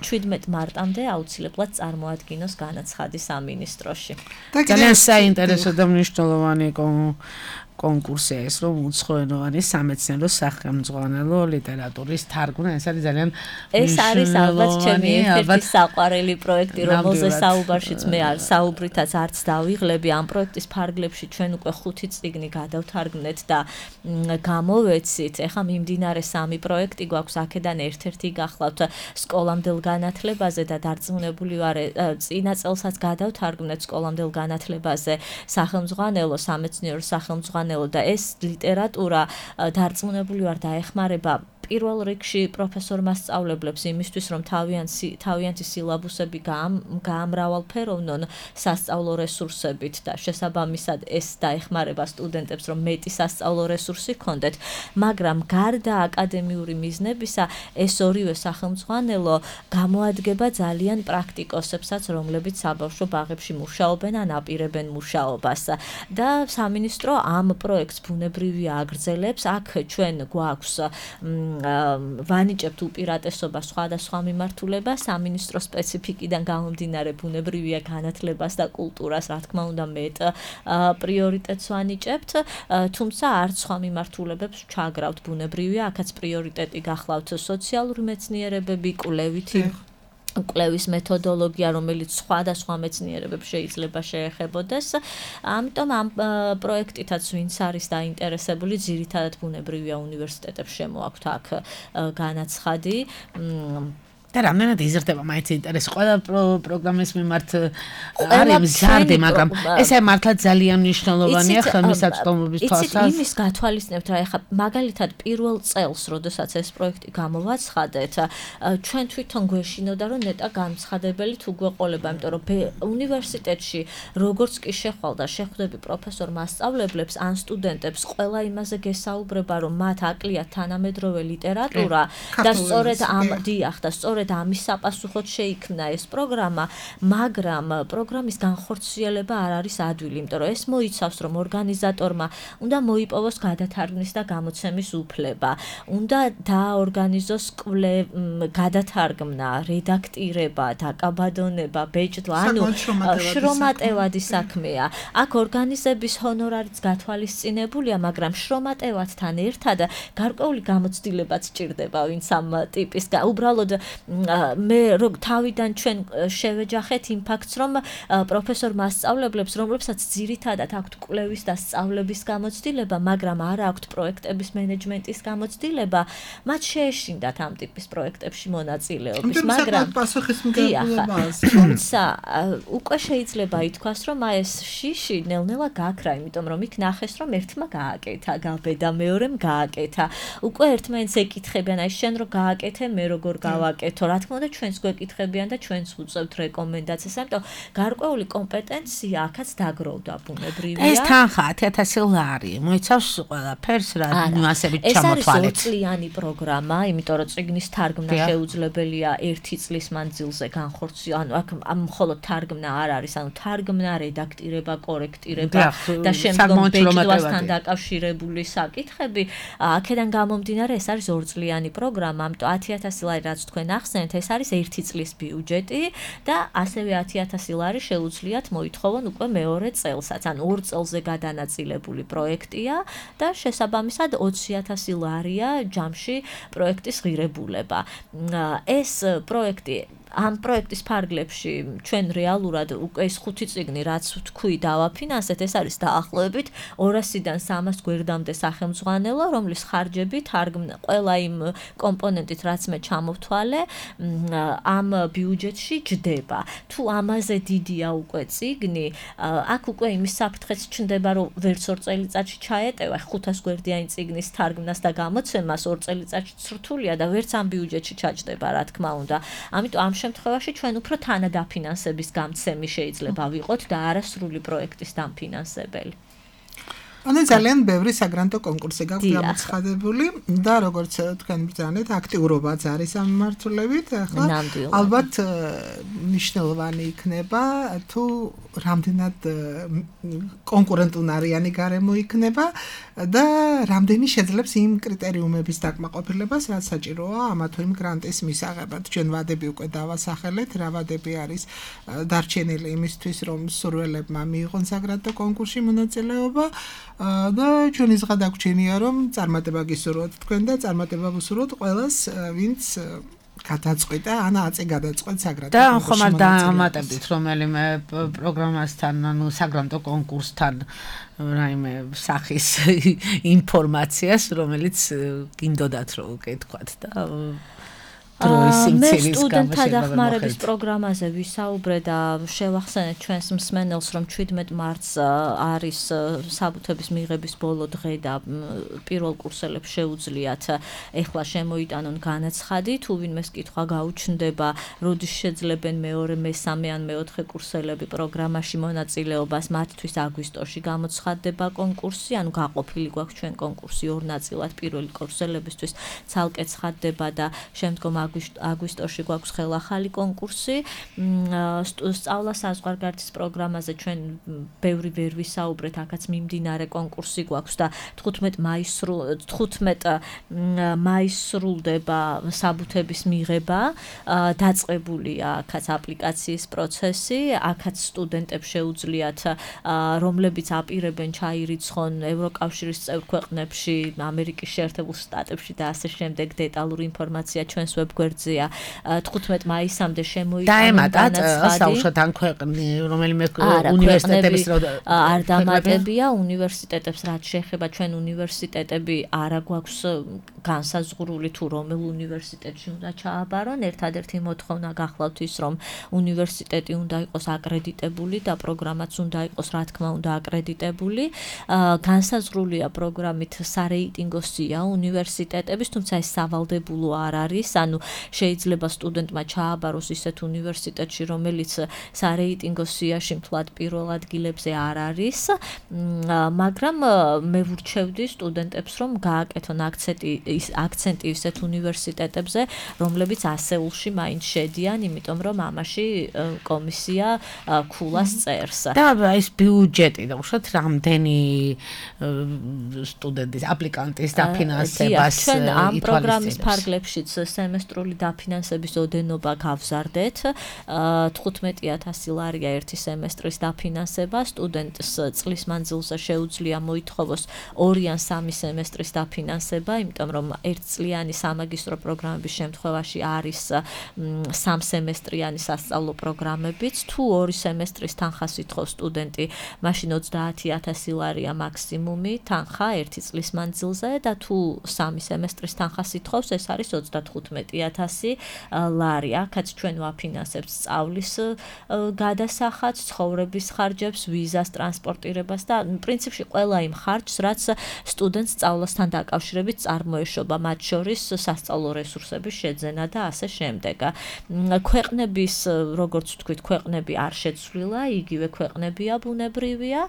შვიდმეტ მარტამდე აუცილებლად წარმოადგინოს განაცხადი სამინისტროში. ძალიან საინტერესო და მნიშვნელოვანი კონკურსია ეს, რომ უცხოენოვანი სამეცნიერო სახელმძღვანელო ლიტერატურის თარგმნა, ეს არის ძალიან ეს არის ალბათ ჩემი ერთ-ერთი საყვარელი პროექტი, რომელზე საუბარშიც მე არ საუბრითაც არც დავიღლები. ამ პროექტის ფარგლებში ჩვენ უკვე ხუთი წიგნი გადავთარგმნეთ და გამოვეცით. ეხლა მიმდინარე სამი პროექტი გვაქვს, აქედან ერთ-ერთი გახლავთ სკოლამდელ განათლებაზე და დარწმუნებული ვარ, წინა წელსაც გადავთარგმნეთ სკოლამდელ განათლებაზე სახელმძღვანელო, სამეცნიერო სახელმძღვანელო და ეს ლიტერატურა დარწმუნებული ვარ დაეხმარება პირველ რიგში პროფესორ მასწავლებლებს იმისთვის, რომ თავიანთი სილაბუსები გაამრავალფეროვნონ სასწავლო რესურსებით და შესაბამისად ეს დაეხმარება სტუდენტებს, რომ მეტი სასწავლო რესურსი ჰქონდეთ, მაგრამ გარდა აკადემიური მიზნებისა, ეს ორივე სახელმძღვანელო გამოადგება ძალიან პრაქტიკოსებსაც, რომლებიც საბავშვო ბაღებში მუშაობენ ან აპირებენ მუშაობას. და სამინისტრო ამ პროექტს ბუნებრივია აგრძელებს. აქ ჩვენ გვაქვს ვანიჭებთ უპირატესობას სხვადასხვა მიმართულებას, სამინისტრო სპეციფიკიდან გამომდინარე ბუნებრივია განათლებას და კულტურას, რა თქმა უნდა, მეტ პრიორიტეტს ვანიჭებთ, თუმცა არც სხვა მიმართულებებს ჩაგრავთ ბუნებრივია, აქაც პრიორიტეტი გახლავთ სოციალური მეცნიერებები, კვლევითი კვლევის მეთოდოლოგია, რომელიც სხვადასხვა მეცნიერებებს შეიძლება შეეხებოდეს. ამიტომ ამ პროექტითაც ვინც არის დაინტერესებული, ძირითადად ბუნებრივია უნივერსიტეტებს შემოაქვთ აქ განაცხადი. და რამდენად იზრდება მაინც ინტერესი ყველა პროგრამის მიმართ არის მზარდი, მაგრამ ეს აი მართლა ძალიან მნიშვნელოვანია ხელმისაწვდომობის თვალსაზრისით. იცით, იმის გათვალისწინებთ რა, ეხლა მაგალითად პირველ წელს, როდესაც ეს პროექტი გამოვაცხადეთ, ჩვენ თვითონ გვეშინოდა, რომ ნეტა განცხადებელი თუ გვეყოლება, იმიტომ რომ უნივერსიტეტში როგორც კი შეხვალ და შეხვდები პროფესორ მასწავლებლებს ან სტუდენტებს, ყველა იმაზე გესაუბრება, რომ მათ აკლიათ თანამედროვე ლიტერატურა და სწორედ ამ დიახ და სწორედ ამის საპასუხოდ შეიქმნა ეს პროგრამა, მაგრამ პროგრამის განხორციელება არ არის ადვილი, იმიტომ რომ ეს მოიცავს, რომ ორგანიზატორმა უნდა მოიპოვოს გადათარგმნის და გამოცემის უფლება, უნდა დააორგანიზოს გადათარგმნა, რედაქტირება, დაკაბადონება, ბეჭდვა, ანუ შრომატევადი საქმეა. აქ ორგანიზების ჰონორარიც გათვალისწინებულია, მაგრამ შრომატევადთან ერთად გარკვეული გამოცდილებაც სჭირდება, ვინც ამ ტიპის უბრალოდ მე თავიდან ჩვენ შევეჯახეთ იმ ფაქტს, რომ პროფესორ მასწავლებლებს, რომლებსაც ძირითადად აქვთ კვლევის და სწავლების გამოცდილება, მაგრამ არ აქვთ პროექტების მენეჯმენტის გამოცდილება, მათ შეეშინდათ ამ ტიპის პროექტებში მონაწილეობის, მაგრამ თუმცა უკვე შეიძლება ითქვას, რომ ეს შიში ნელ-ნელა გაქრა, იმიტომ რომ იქ ნახეს, რომ ერთმა გააკეთა გაბე და მეორემ გააკეთა. უკვე ერთმანეთს ეკითხებიან, აი შენ რო გააკეთე, მე როგორ გავაკეთო, რა თქმა უნდა ჩვენს გვეკითხებიან და ჩვენს უწევთ რეკომენდაციას, ამიტომ გარკვეული კომპეტენცია აქაც დაგროვდა ბუნებრივია. ეს თანხა ათი ათასი ლარი, მოიცავს ყველაფერს რა ნიუანსებით ჩამოთვალეთ. ეს არის ორწლიანი პროგრამა, იმიტომ რომ წიგნის თარგმნა შეუძლებელია ერთი წლის მანძილზე განხორციელება, ანუ აქ მხოლოდ თარგმნა არ არის, ანუ თარგმნა, რედაქტირება, კორექტირება და შემდგომ ბეჭდვასთან დაკავშირებული საკითხები, აქედან გამომდინარე ეს არის ორწლიანი პროგრამა, ამიტომ ათი ათასი ლარი რაც თქვენ ახსენეთ, ეს არის ერთი წლის ბიუჯეტი და ასევე ათი ათასი ლარი შეუძლიათ მოითხოვონ უკვე მეორე წელსაც, ანუ ორ წელზე გადანაწილებული პროექტია და შესაბამისად ოცი ათასი ლარია ჯამში პროექტის ღირებულება. ეს პროექტი ამ პროექტის ფარგლებში ჩვენ რეალურად უკვე ეს ხუთი წიგნი რაც თქვი დავაფინანსეთ, ეს არის დაახლოებით ორასიდან სამას გვერდამდე სახელმძღვანელო, რომლის ხარჯები თარგმნა ყველა იმ კომპონენტით რაც მე ჩამოვთვალე ამ ბიუჯეტში ჯდება. თუ ამაზე დიდია უკვე წიგნი, აქ უკვე იმის საფრთხეც ჩნდება, რომ ვერც ორ წელიწადში ჩაეტევა ხუთას გვერდიანი წიგნის თარგმნას და გამოცემას, ორ წელიწადში ცრთულია და ვერც ამ ბიუჯეტში ჩაჯდება, რა თქმა უნდა. ამიტომ ამ შემთხვევაში ჩვენ უფრო თანადაფინანსების გამცემი შეიძლება ვიყოთ და არასრული პროექტის დამფინანსებელი. ანუ ძალიან ბევრი საგრანტო კონკურსი გაქვს გამოცხადებული და როგორც თქვენ ბრძანეთ, აქტიურობაც არის ამ მიმართულებით, ახლა ალბათ მნიშვნელოვანი იქნება თუ რამდენად კონკურენტუნარიანი გარემო იქნება და რამდენი შეძლებს იმ კრიტერიუმების დაკმაყოფილებას, რაც საჭიროა ამა თუ იმ გრანტის მისაღებად. ჩვენ ვადები უკვე დავასახელეთ, რა ვადები არის დარჩენილი იმისთვის, რომ მსურველებმა მიიღონ საგრანტო კონკურსში მონაწილეობა და ჩვენი ზღა დაგვრჩენია, რომ წარმატება გისურვოთ თქვენ და წარმატება ვუსურვოთ ყველას, ვინც გადაწყვიტა, ან აწი გადაწყვეტ საგრანტო და ხომ დამატებდით რომელიმე პროგრამასთან, ანუ საგრანტო კონკურსთან რაიმე სახის ინფორმაციას, რომელიც გინდოდათ რომ უკეთქვათ და მე სტუდენტთა დახმარების პროგრამაზე ვისაუბრე და შევახსენეთ ჩვენს მსმენელს, რომ შვიდმეტ მარტს არის საბუთების მიღების ბოლო დღე და პირველ კურსელებს შეუძლიათ ეხლა შემოიტანონ განაცხადი, თუ ვინმეს კითხვა გაუჩნდება, როდის შეძლებენ მეორე, მესამე ან მეოთხე კურსელები პროგრამაში მონაწილეობას, მათთვის აგვისტოში გამოცხადდება კონკურსი, ანუ გაყოფილი გვაქვს ჩვენ კონკურსი ორ ნაწილად, პირველი კურსელებისთვის ცალკე ცხადდება და შემდგომ აგვისტოში გვაქვს ხელახალი კონკურსი. სწავლა საზღვარგარეთის პროგრამაზე ჩვენ ბევრი ვერ ვისაუბრეთ, აქაც მიმდინარე კონკურსი გვაქვს და თხუთმეტ მაისს სრულდება საბუთების მიღება, დაწყებულია აქაც აპლიკაციის პროცესი, აქაც სტუდენტებს შეუძლიათ, რომლებიც აპირებენ ჩაირიცხონ ევროკავშირის წევრ ქვეყნებში, ამერიკის შეერთებულ შტატებში და ასე შემდეგ, დეტალური ინფორმაცია ჩვენს ვებ გვერდზეა. თხუთმეტ მაისამდე შემოიტანა დაემატათ საუშოთ ან ქვეყნი რომელიმე უნივერსიტეტების არ დამატებია უნივერსიტეტებს რაც შეეხება ჩვენ უნივერსიტეტები არა გვაქვს განსაზღვრული თუ რომელ უნივერსიტეტში უნდა ჩააბარონ ერთადერთი მოთხოვნა გახლავთ ის რომ უნივერსიტეტი უნდა იყოს აკრედიტებული და პროგრამაც უნდა იყოს რა თქმა უნდა აკრედიტებული განსაზღვრულია პროგრამით სარეიტინგო სია უნივერსიტეტების თუმცა ეს სავალდებულო არ არის ანუ შეიძლება სტუდენტმა ჩააბაროს ისეთ უნივერსიტეტში რომელიც სარეიტინგო სიაში მთლად პირველ ადგილებზე არ არის მაგრამ მე ვურჩევდი სტუდენტებს რომ გააკეთონ აქცენტი აქცენტი ისეთ უნივერსიტეტებზე რომლებიც ასეულში მაინც შედიან იმიტომ რომ ამაში კომისია ქულას წერს და ეს ბიუჯეტი და უშოთ რამდენი სტუდენტის აპლიკანტის დაფინანსებას ჩვენ ამ პროგრამის ფარგლებშიც სემესტრული დაფინანსების ოდენობა გავზარდეთ თხუთმეტი ათასი ლარია ერთი სემესტრის დაფინანსება სტუდენტს წლის მანძილზე შეუძლია მოითხოვოს ორი ან სამი სემესტრის დაფინანსება იმიტომ რომ ერთწლიანი სამაგისტრო პროგრამების შემთხვევაში არის სამსემესტრიანი სასწავლო პროგრამებიც თუ ორი სემესტრის თანხას ითხოვს სტუდენტი მაშინ ოცდაათი ათასი ლარია მაქსიმუმი თანხა ერთი წლის მანძილზე და თუ სამი სემესტრის თანხას ითხოვს ეს არის ოცდათხუთმეტი ათასი ლარი აქაც ჩვენ ვაფინანსებთ სწავლის გადასახადს ცხოვრების ხარჯებს ვიზას ტრანსპორტირებას და პრინციპში ყველა იმ ხარჯს რაც სტუდენტს სწავლასთან დაკავშირებით წარმოეშობა მათ შორის სასწავლო რესურსების შეძენა და ასე შემდეგ ქვეყნების როგორც ვთქვით ქვეყნები არ შეცვლილა იგივე ქვეყნებია ბუნებრივია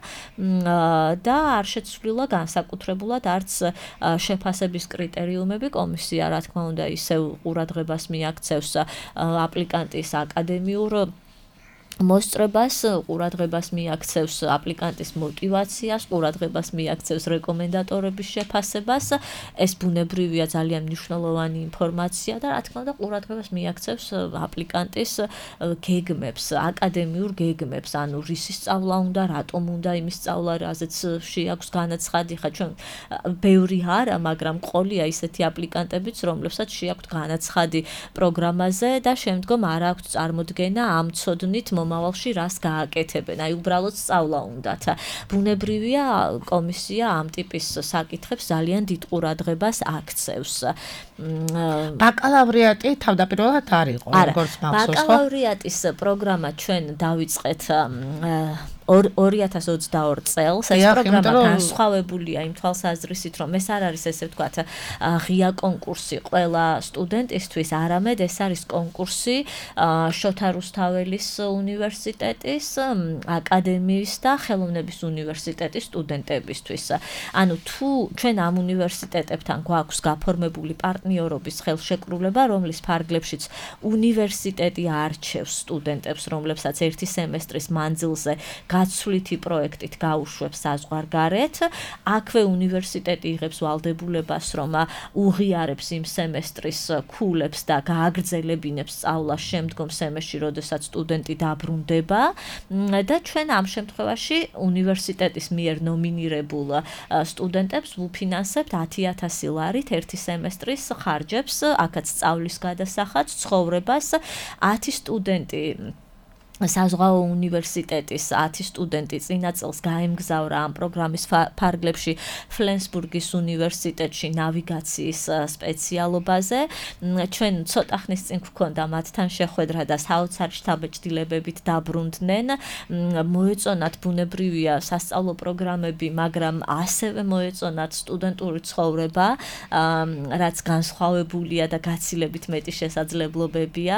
და არ შეცვლილა განსაკუთრებულად არც შეფასების კრიტერიუმები კომისია რა თქმა უნდა ისევ ყურადღებას მიაქცევს აპლიკანტის აკადემიურ მოსწრებას ყურადღებას მიაქცევს აპლიკანტის მოტივაციას, ყურადღებას მიაქცევს რეკომენდატორების შეფასებას. ეს ბუნებრივია ძალიან მნიშვნელოვანი ინფორმაცია და რა თქმა უნდა ყურადღებას მიაქცევს აპლიკანტის გეგმებს, აკადემიურ გეგმებს, ანუ რისი სწავლა უნდა, რატომ უნდა იმის სწავლა, რაზეც შეაქვს განაცხადი, ხა ჩვენ ბევრი არა, მაგრამ ყოლია ისეთი აპლიკანტებიც, რომლებსაც შეაქვთ განაცხადი პროგრამაზე და შემდგომ არ აქვთ წარმოდგენა ამ ცოდნით მომავალში რას გააკეთებენ. აი უბრალოდ სწავლა უნდათ. ბუნებრივია კომისია ამ ტიპის საკითხებს ძალიან დიდ ყურადღებას აქცევს. ბაკალავრიატი თავდაპირველად არ იყო, როგორც მახსოვს, ხო? ბაკალავრიატის პროგრამა ჩვენ დავიწყეთ ორი ათას ოცდაორი წელს ეს პროგრამა განსხვავებულია იმ თვალსაზრისით რომ ეს არ არის ესე ვთქვათ ღია კონკურსი ყველა სტუდენტისთვის არამედ ეს არის კონკურსი შოთა რუსთაველის უნივერსიტეტის აკადემიის და ხელოვნების უნივერსიტეტის სტუდენტებისთვის ანუ თუ ჩვენ ამ უნივერსიტეტებთან გვაქვს გაფორმებული პარტნიორობის ხელშეკრულება რომლის ფარგლებშიც უნივერსიტეტი არჩევს სტუდენტებს რომლებსაც ერთი სემესტრის მანძილზე გაცვლითი პროექტით გაუშვებს საზღვარგარეთ. აქვე უნივერსიტეტი იღებს ვალდებულებას, რომ უღიარებს იმ სემესტრის ქულებს და გააგრძელებინებს სწავლას შემდგომ სემესტრში, როდესაც სტუდენტი დაბრუნდება და ჩვენ ამ შემთხვევაში უნივერსიტეტის მიერ ნომინირებულ სტუდენტებს ვუფინანსებთ ათი ათასი ლარით ერთი სემესტრის ხარჯებს, აქაც სწავლის გადასახადს, ცხოვრებას ათი სტუდენტი საზღვაო უნივერსიტეტის ათი სტუდენტი წინა წელს გაემგზავრა ამ პროგრამის ფარგლებში ფლენსბურგის უნივერსიტეტში ნავიგაციის სპეციალობაზე. ჩვენ ცოტა ხნის წინ გვქონდა მათთან შეხვედრა და საოცარი შთაბეჭდილებებით დაბრუნდნენ. მოეწონათ ბუნებრივია სასწავლო პროგრამები, მაგრამ ასევე მოეწონათ სტუდენტური ცხოვრება, რაც განსხვავებულია და გაცილებით მეტი შესაძლებლობებია,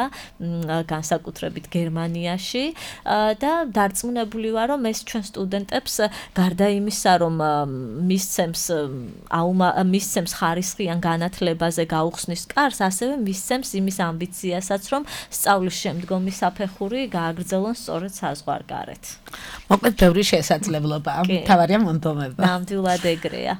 განსაკუთრებით გერმანიაში. და დარწმუნებული ვარ რომ ეს ჩვენ სტუდენტებს გარდა იმისა რომ მისცემს მისცემს ხარისხიან განათლებაზე გაუხსნის კარს ასევე მისცემს იმის ამბიციასაც რომ სწავლის შემდგომი საფეხური გააგრძელონ სწორედ საზღვარგარეთ. მოკლედ ბევრი შესაძლებლობაა. თავარია მონდომება. ნამდვილად ეგრეა.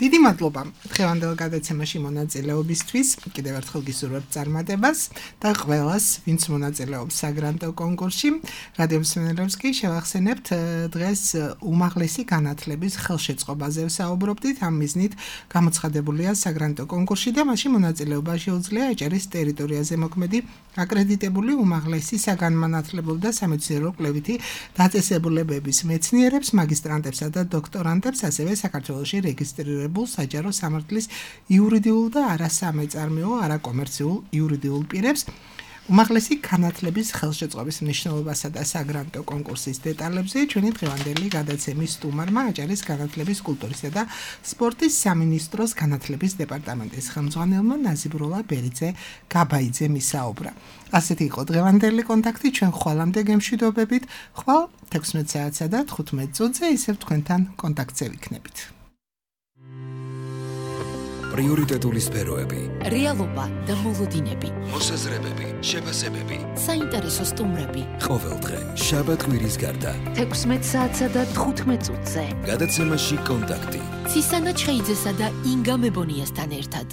დიდი მადლობა დღევანდელ გადაცემაში მონაწილეობისთვის. კიდევ ერთხელ გისურვებთ წარმატებას და ყველას, ვინც მონაწილეობს საგრანტო კონკურსში. რადიო მსმენელებს კი შევახსენებთ დღეს უმაღლესი განათლების ხელშეწყობაზე ვსაუბრობდით. ამ მიზნით გამოცხადებულია საგრანტო კონკურსში და მასში მონაწილეობა შეუძლია ეჭერის ტერიტორიაზე მოქმედი აკრედიტებული უმაღლესი საგანმანათლებლო და სამეცნიერო კვლევითი დაწესებულებების მეცნიერებს, მაგისტრანტებსა და დოქტორანტებს, ასევე საქართველოში რეგისტრირებულ საჯარო სამართლის იურიდიულ და არასამეწარმეო, არაკომერციულ იურიდიულ პირებს. უმაღლესი განათლების ხელშეწყობის მნიშვნელობასა და საგრანტო კონკურსის დეტალებზე ჩვენი დღევანდელი გადაცემის სტუმარმა აჭარის განათლების, კულტურისა და სპორტის სამინისტროს განათლების დეპარტამენტის ხელმძღვანელმა ნაზიბუროლა ბერიძე გაბაიძემ ისაუბრა. ასეთი იყო დღევანდელი კონტაქტი, ჩვენ ხვალამდე გემშვიდობებით, ხვალ თექვსმეტ საათსა და თხუთმეტ წუთზე ისევ თქვენთან კონტაქტზე ვიქნებით. პრიორიტეტული სფეროები, რეალობა და მოლოდინები, მოსაზრებები, შეფასებები, საინტერესო სტუმრები. ყოველდღე შაბათ კვირის გარდა თექვსმეტ საათსა და თხუთმეტ წუთზე. გადაცემაში კონტაქტი. ცისანა ჩხეიძესა და ინგა მებონიასთან ერთად.